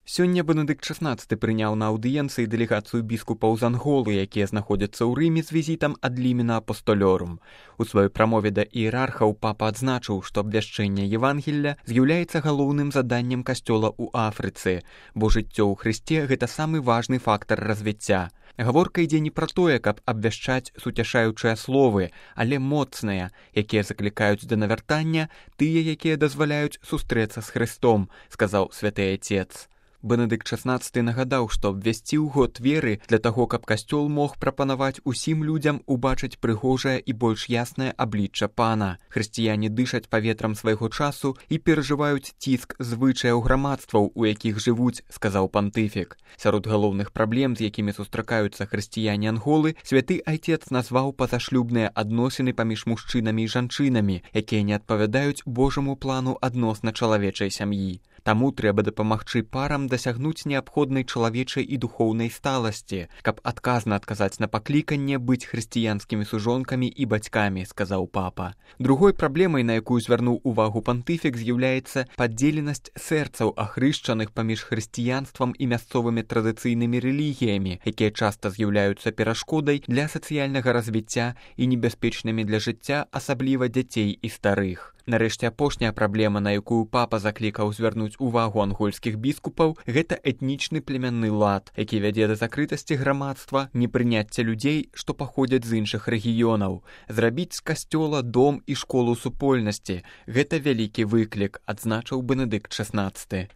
Сёння Бенедыкт XVI прыняў на аўдыенцыі дэлегацыю біскупаў з Анголы, якія знаходзяцца ў Рыме з візітам ад Лімена Апостолёрум. У сваёй прамове да іерархаў папа адзначыў, што абвяшчэнне Евангелля з'яўляецца галоўным заданнем касцёла ў Афрыцы, бо жыццё ў Хрысце – гэта самы важны фактар развіцця. Гаворка ідзе не пра тое, каб абвяшчаць суцяшаючыя словы, але моцныя, якія заклікаюць да навяртання, тыя, якія дазваляюць сустрэцца з Хрыстом, сказаў святы Отец. Бенедыкт XVI нагадаў, што абвясціў год веры для таго, каб касцёл мог прапанаваць усім людзям убачыць прыгожае і больш яснае аблічча Пана. Хрысціяне дышаць паветрам свайго часу і перажываюць ціск звычаяў грамадстваў, у якіх жывуць, сказаў пантыфік. Сярод галоўных праблем, з якімі сустракаюцца хрысціяне Анголы, святы Айцец назваў пазашлюбныя адносіны паміж мужчынамі і жанчынамі, якія не адпавядаюць Божаму плану адносна чалавечай сям'і. Таму трэба дапамагчы парам дасягнуць неабходнай чалавечай і духоўнай сталасці, каб адказна адказаць на пакліканне быць хрысціянскімі сужонкамі і бацькамі, сказаў папа. Другой праблемай, на якую звярнуў увагу пантыфік, з'яўляецца падзеленасць сэрцаў ахрышчаных паміж хрысціянствам і мясцовымі традыцыйнымі рэлігіямі, якія часта з'яўляюцца перашкодай для сацыяльнага развіцця і небяспечнымі для жыцця, асабліва дзяцей і старых. Нарэшце, апошняя праблема, на якую папа заклікаў звярнуць увагу ангольскіх біскупаў, гэта этнічны племянны лад, які вядзе да закрытасці грамадства, непрыняцця людзей, што паходзяць з іншых рэгіёнаў. Зрабіць з касцёла дом і школу супольнасці – гэта вялікі выклік, адзначыў Бенедыкт XVI.